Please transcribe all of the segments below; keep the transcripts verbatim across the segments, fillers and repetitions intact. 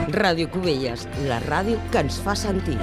Ràdio Cubelles, la ràdio que ens fa sentir.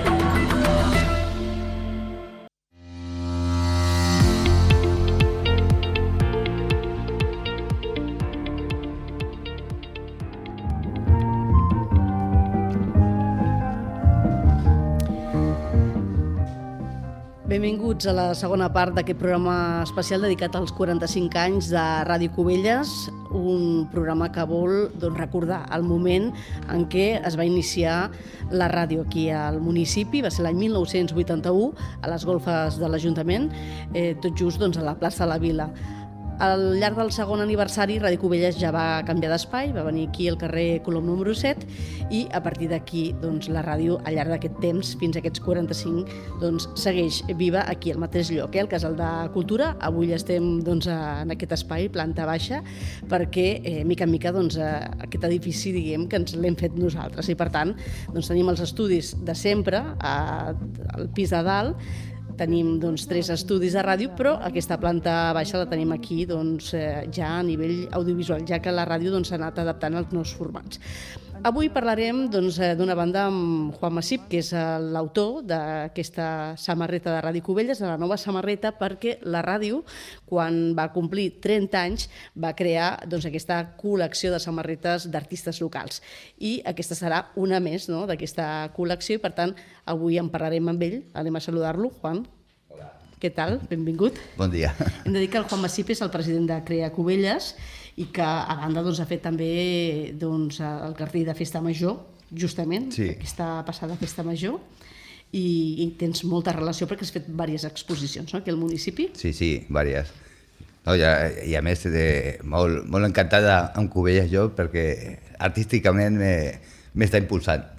Benvinguts a la segona part d'aquest programa especial dedicat als quaranta-cinc anys de Ràdio Cubelles, un programa que vol doncs, recordar el moment en què es va iniciar la ràdio aquí al municipi. Va ser l'any mil nou-cents vuitanta-u, a les golfes de l'Ajuntament, eh, tot just doncs, a la plaça de la Vila. Al llarg del segon aniversari, Ràdio Cubelles ja va canviar d'espai, va venir aquí al carrer Colom número set, i a partir d'aquí doncs, la ràdio, al llarg d'aquest temps, fins a aquests quaranta-cinc, doncs, segueix viva aquí al mateix lloc, eh, al Casal de Cultura. Avui estem doncs, en aquest espai, planta baixa, perquè, eh, mica en mica, doncs, aquest edifici, diguem, que ens l'hem fet nosaltres. I, per tant, doncs, tenim els estudis de sempre, a, al pis de dalt. Tenim doncs, tres estudis de ràdio, però aquesta planta baixa la tenim aquí doncs, eh, ja a nivell audiovisual, ja que la ràdio doncs, s'ha anat adaptant als nous formats. Avui parlarem doncs, d'una banda amb Juan Masip, que és l'autor d'aquesta samarreta de Ràdio Cubelles, de la nova samarreta, perquè la ràdio, quan va complir trenta anys, va crear doncs, aquesta col·lecció de samarretes d'artistes locals. I aquesta serà una més, no?, d'aquesta col·lecció, i per tant avui en parlarem amb ell. Anem a saludar-lo. Juan. Hola. Què tal? Benvingut. Bon dia. Hem de dir que el Juan Masip és el president de Crea Cubelles i que a banda doncs, ha fet també doncs, el cartell de Festa Major, justament, sí. Aquesta passada Festa Major, i, i tens molta relació perquè has fet diverses exposicions, no?, aquí al municipi. Sí, sí, diverses. No, i, a, I a més, de, molt, molt encantada amb Cubelles jo, perquè artísticament m'està impulsant.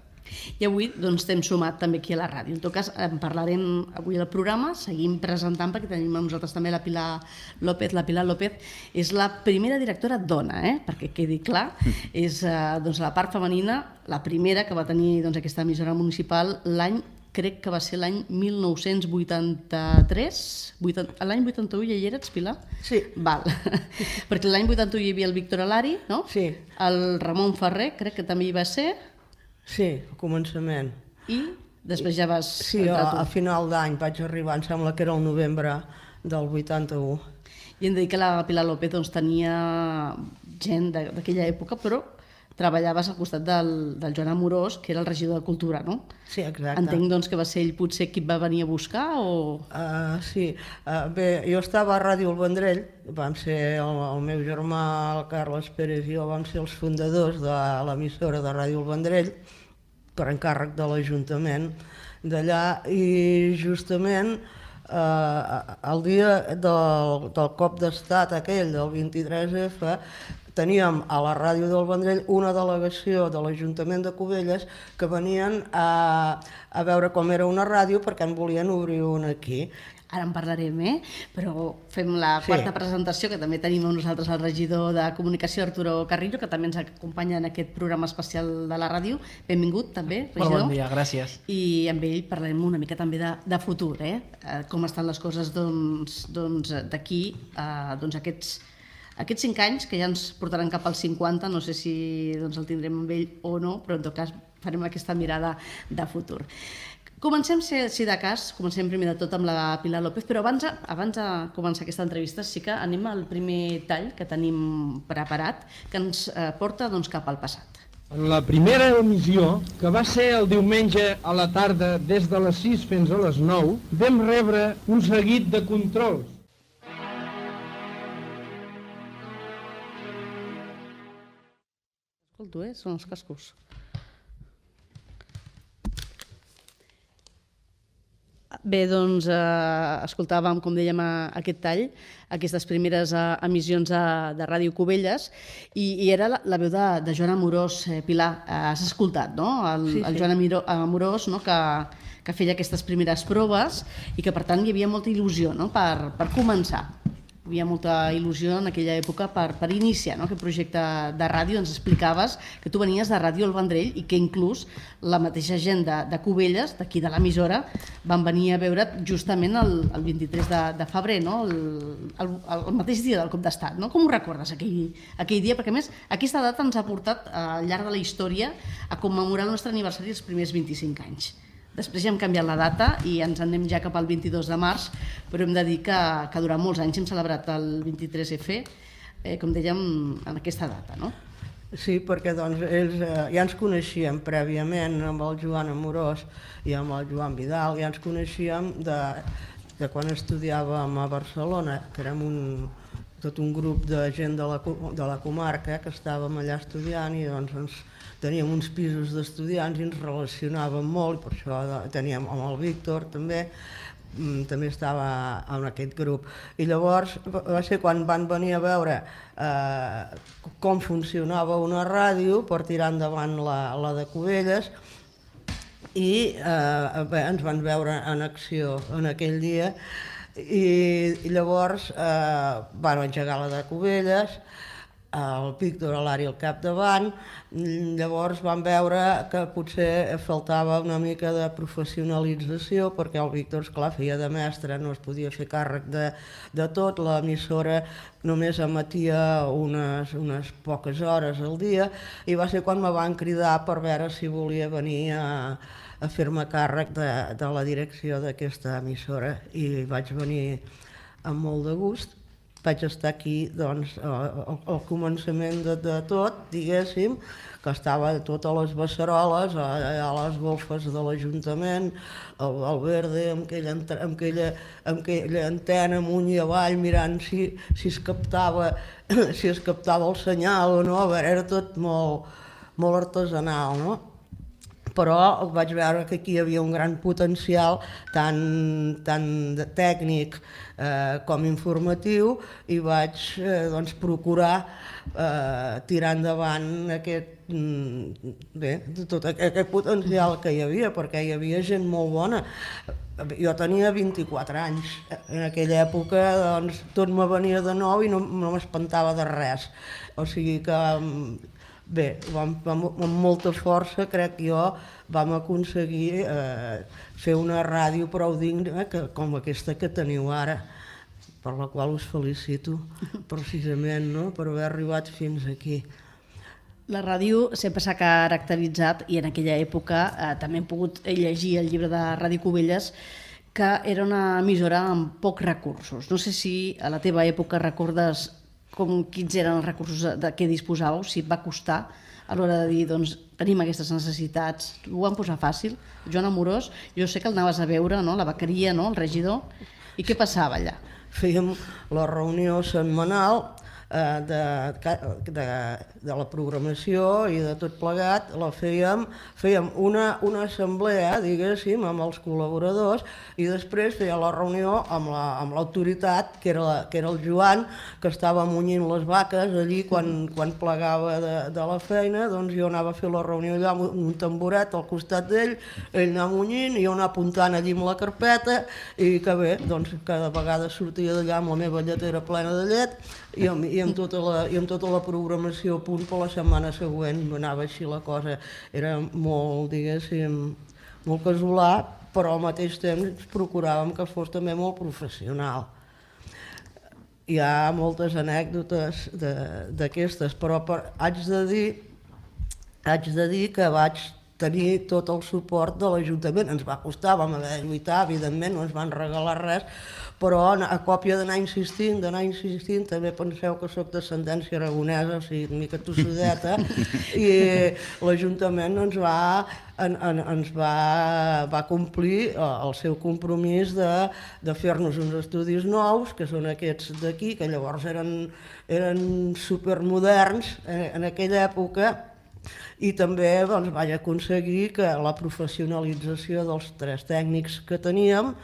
I avui doncs, t'hem sumat també aquí a la ràdio. En tot cas, en parlarem avui al programa, seguim presentant perquè tenim amb nosaltres també la Pilar López. La Pilar López és la primera directora dona, eh? Perquè quedi clar, és eh, doncs, la part femenina, la primera que va tenir doncs, aquesta emissora municipal l'any, crec que va ser l'any mil nou-cents vuitanta-tres, l'any vuitanta-u ja hi eres, Pilar? Sí. Val. Perquè l'any vuitanta-u hi havia el Víctor Alari, no? Sí. El Ramon Ferrer, crec que també hi va ser. Sí, al començament. I després ja vas... Sí, a, a final d'any vaig arribar, em sembla que era el novembre del vuitanta-u. I hem de dir que la Pilar López doncs, tenia gent d'aquella època, però treballaves al costat del, del Joan Amorós, que era el regidor de Cultura, no? Sí, exacte. Entenc doncs, que va ser ell potser qui et va venir a buscar o...? Uh, sí, uh, bé, jo estava a Ràdio El Vendrell, vam ser el, el meu germà, el Carles Pérez i jo, vam ser els fundadors de l'emissora de Ràdio El Vendrell, per encàrrec de l'Ajuntament d'allà, i justament eh, el dia del, del cop d'estat aquell, del vint-i-tres efa, teníem a la ràdio del Vendrell una delegació de l'Ajuntament de Cubelles que venien a, a veure com era una ràdio perquè en volien obrir una aquí. Ara en parlarem, eh? Però fem la quarta sí. presentació, que també tenim amb nosaltres el regidor de Comunicació, Arturo Carrillo, que també ens acompanya en aquest programa especial de la ràdio. Benvingut, també, regidor. Bon dia, gràcies. I amb ell parlarem una mica també de, de futur, eh? Com estan les coses doncs, doncs, d'aquí a doncs, aquests, aquests cinc anys, que ja ens portaran cap als cinquanta, no sé si doncs, el tindrem amb ell o no, però en tot cas farem aquesta mirada de futur. Comencem, si de cas, comencem primer de tot amb la Pilar López, però abans, abans de començar aquesta entrevista sí que anem al primer tall que tenim preparat, que ens porta doncs, cap al passat. En la primera emissió, que va ser el diumenge a la tarda des de les sis fins a les nou, vam rebre un seguit de controls. Escolto, eh? Són els cascos. Bé, doncs, eh, escoltàvem, com dèiem, aquest tall, aquestes primeres eh, emissions de, de Ràdio Cubelles, i, i era la, la veu de, de Joan Amorós. eh, Pilar, eh, has escoltat, no?, el, sí, sí. el Joan Amorós, no?, que, que feia aquestes primeres proves i que, per tant, hi havia molta il·lusió, no?, per, per començar. Hi havia molta il·lusió en aquella època per, per iniciar, no?, aquest projecte de ràdio. Ens explicaves que tu venies de Ràdio El Vendrell i que inclús la mateixa gent de, de Cubelles, d'aquí de l'emissora, van venir a veure't justament el, el vint-i-tres de, de febrer, no?, el, el, el mateix dia del cop d'estat, no? Com ho recordes, aquell, aquell dia? Perquè, a més, aquesta data ens ha portat al llarg de la història a commemorar el nostre aniversari els primers vint-i-cinc anys. Després ja hem canviat la data i ens anem ja cap al vint-i-dos de març, però hem de dir que, que durant molts anys hem celebrat el vint-i-tres efe, eh, com dèiem, en aquesta data, no? Sí, perquè doncs, ells eh, ja ens coneixíem prèviament amb el Joan Amorós i amb el Joan Vidal, ja ens coneixíem de, de quan estudiàvem a Barcelona, que érem un, tot un grup de gent de la, de la comarca que estàvem allà estudiant i doncs ens teníem uns pisos d'estudiants i ens relacionàvem molt, per això teníem amb el Víctor també, també estava en aquest grup. I llavors va ser quan van venir a veure eh, com funcionava una ràdio per tirar endavant la, la de Cubelles i eh, bé, ens van veure en acció en aquell dia i, i llavors eh, van engegar la de Cubelles, el Víctor a l'àrea al capdavant, llavors vam veure que potser faltava una mica de professionalització perquè el Víctor, esclar, feia de mestre, no es podia fer càrrec de, de tot, l'emissora només emetia unes, unes poques hores al dia i va ser quan me van cridar per veure si volia venir a, a fer-me càrrec de, de la direcció d'aquesta emissora i vaig venir amb molt de gust. Vaig estar aquí doncs, al, al començament de, de tot, diguéssim, que estava totes les beceroles, a, a les golfes de l'Ajuntament, al, al Verde, amb aquella, amb, aquella, amb aquella antena amunt i avall, mirant si, si, es captava, si es captava el senyal o no, a veure, era tot molt, molt artesanal, no? Però vaig veure que aquí hi havia un gran potencial, tant, tant de tècnic eh, com informatiu, i vaig eh, doncs, procurar eh, tirar endavant aquest, bé, tot aquest potencial que hi havia, perquè hi havia gent molt bona. Jo tenia vint-i-quatre anys, en aquella època doncs, tot me venia de nou i no, no m'espantava de res, o sigui que bé, vam, vam, amb molta força, crec jo, vam aconseguir eh, fer una ràdio prou digna que, com aquesta que teniu ara, per la qual us felicito precisament, no?, per haver arribat fins aquí. La ràdio sempre s'ha caracteritzat, i en aquella època eh, també hem pogut llegir el llibre de Ràdio Cubelles, que era una emissora amb pocs recursos. No sé si a la teva època recordes com quins eren els recursos de què disposàveu, si et va costar a l'hora de dir, doncs, tenim aquestes necessitats. Ho van posar fàcil? Joan Amorós, jo sé que el anaves a veure, no?, la vaqueria, no?, el regidor, i què passava allà? Fèiem la reunió setmanal eh, de, de, de la programació i de tot plegat, la fèiem, fèiem una, una assemblea, diguéssim, amb els col·laboradors, i després feia la reunió amb la, amb l'autoritat, que, era la, que era el Joan, que estava munyint les vaques allí quan, quan plegava de, de la feina, doncs jo anava a fer la reunió allà amb un tamboret al costat d'ell, ell anava munyint, i jo anava apuntant allí amb la carpeta, i que bé, doncs cada vegada sortia d'allà amb la meva lletera plena de llet, i amb, i amb, tota, la, i amb tota la programació a punt per la setmana següent, anava així la cosa, era molt, diguéssim, molt casolà, però al mateix temps procuràvem que fos també molt professional. Hi ha moltes anècdotes d'aquestes, però per, haig de dir, haig de dir que vaig tenir tot el suport de l'Ajuntament. Ens va costar, vam haver de lluitar, evidentment, no ens van regalar res, però a còpia d'anar insistint, d'anar insistint, també penseu que soc d'ascendència aragonesa, o sigui, una mica tossudeta, i l'Ajuntament ens va, en, en, ens va, va complir el seu compromís de, de fer-nos uns estudis nous, que són aquests d'aquí, que llavors eren, eren supermoderns en, en aquella època, i també doncs, vaig aconseguir que la professionalització dels tres tècnics que teníem,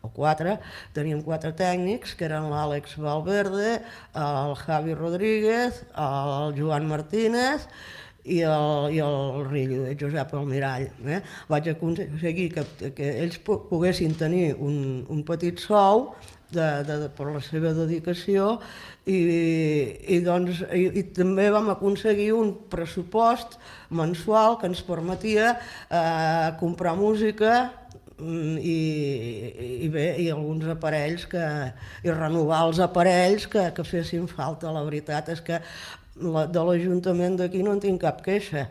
o quatre, teníem quatre tècnics, que eren l'Àlex Valverde, el Javi Rodríguez, el Joan Martínez i el, i el Rillo, el Josep Almirall. Eh? Vaig aconseguir que, que ells poguessin tenir un, un petit sou de, de, per la seva dedicació i, i, doncs, i, i també vam aconseguir un pressupost mensual que ens permetia eh, comprar música i, i bé, i alguns aparells que, i renovar els aparells que, que fessin falta. La veritat és que la, de l'Ajuntament d'aquí no en tinc cap queixa.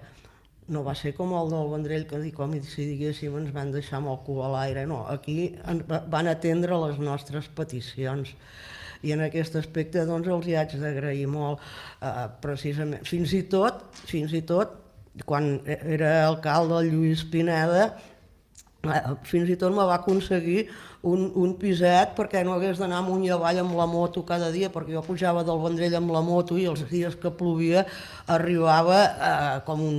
no va ser com el del Vendrell, que com si diguéssim ens van deixar amb el cul a l'aire, no, aquí van atendre les nostres peticions. I en aquest aspecte doncs els hi haig d'agrair molt, eh, precisament, fins i tot, fins i tot, quan era alcalde el Lluís Pineda, eh, fins i tot me va aconseguir un, un piset perquè no hagués d'anar amunt i avall amb la moto cada dia, perquè jo pujava del Vendrell amb la moto i els dies que plovia arribava eh, com un...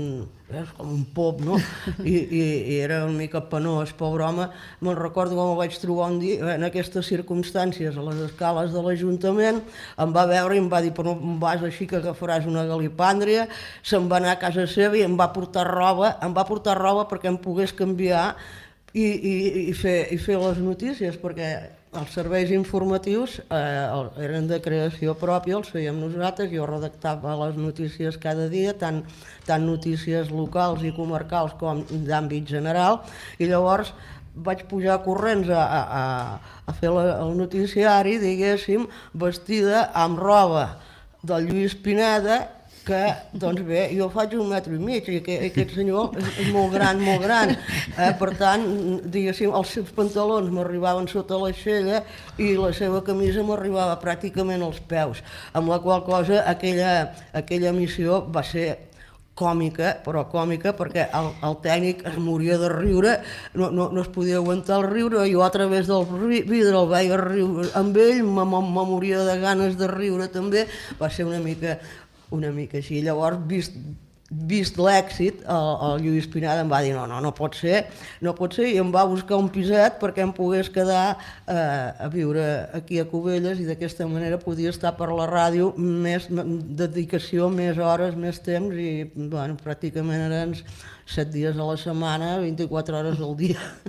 és com un pop, no? I, i, i era una mica penós, pobre home. Me'n recordo com el vaig trobar un dia, en aquestes circumstàncies, a les escales de l'Ajuntament, em va veure i em va dir, però no vas així que agafaràs una galipàndria, se'n va anar a casa seva i em va portar roba, em va portar roba perquè em pogués canviar i, i, i, fer, i fer les notícies, perquè els serveis informatius eh, eren de creació pròpia, els fèiem nosaltres, jo redactava les notícies cada dia, tant, tant notícies locals i comarcals com d'àmbit general, i llavors vaig pujar corrents a, a, a fer la, el noticiari, diguéssim, vestida amb roba del Lluís Pineda, que, doncs bé, jo faig un metre i mig i aquest, aquest senyor és, és molt gran, molt gran. Eh? Per tant, diguéssim, els seus pantalons m'arribaven sota l'aixella i la seva camisa m'arribava pràcticament als peus, amb la qual cosa aquella, aquella missió va ser còmica, però còmica perquè el, el tècnic es moria de riure, no, no, no es podia aguantar el riure, jo a través del vidre el veia riure amb ell, me, me, me moria de ganes de riure també, va ser una mica... una mica així. Llavors, vist, vist l'èxit, el, el Lluís Pineda em va dir no, no, no pot ser, no pot ser, i em va buscar un piset perquè em pogués quedar eh, a viure aquí a Cubelles i d'aquesta manera podia estar per la ràdio més dedicació, més hores, més temps i bueno, pràcticament eren set dies a la setmana, vint-i-quatre hores al dia.